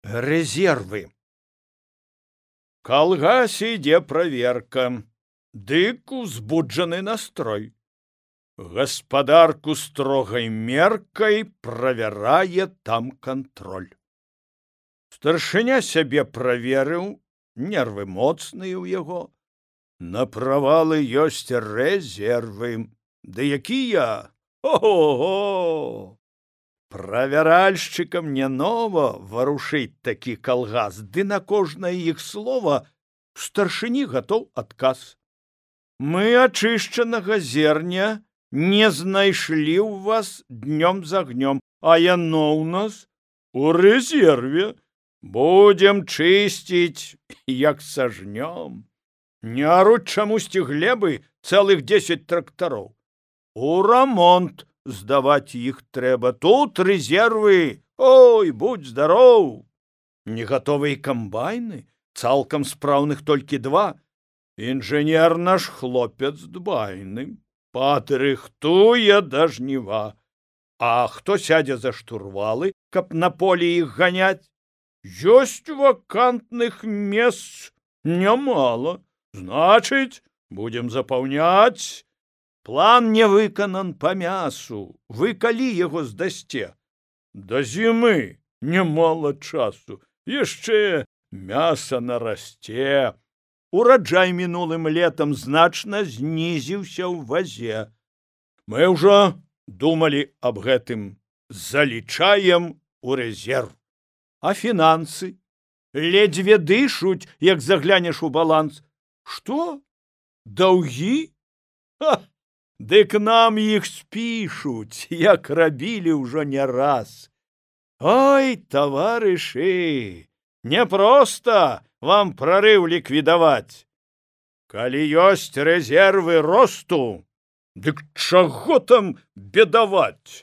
Резервы. Калгасе ідзе праверка, дык узбуджаны настрой. Гаспадарку строгай меркай правярае там кантроль. Старшыня сябе праверыў, нервы моцныя ў яго. На правалы ёсць рэзервы. Ды якія? Ого! Правяральшчыкам не нова варушыць такі калгас, ды на кожнае іх слова старшыні гатоў адказ. Мы ачышчанага зерня не знайшлі ў вас днём з агнём, а яно ў нас у рэзерве. Будзем чысціць, як сажнём. Не аруць чамусьці глебы цэлых 10 трактароў. У рамонт здаваць іх трэба. Тут рэзервы, ой, будь здароў. Негатовыя камбайны, цалкам спраўных толькі 2. Інжынер наш хлопец дбайны, падрыхтуе да жніва. А хто сядзе за штурвалы, каб на полі іх ганяць? Ёсць вакантных месц нямала. Значыць, будзем запаўняць. План не выканан па мясу. Вы калі яго здасце? Да зімы нямала часу. Яшчэ мяса нарасце. Ураджай мінулым летам значна знізіўся ў вазе. Мы ўжо думалі аб гэтым. Залічаем у рэзерв. А фінансы? Ледзьве дышуць, як заглянеш у баланс. Што? Даўгі? Ха! Дык нам іх спішуць, як рабілі ўжо не раз. Ой, таварышы, няпроста вам прарыў ліквідаваць. Калі ёсць рэзервы росту, дык чаго там бедаваць?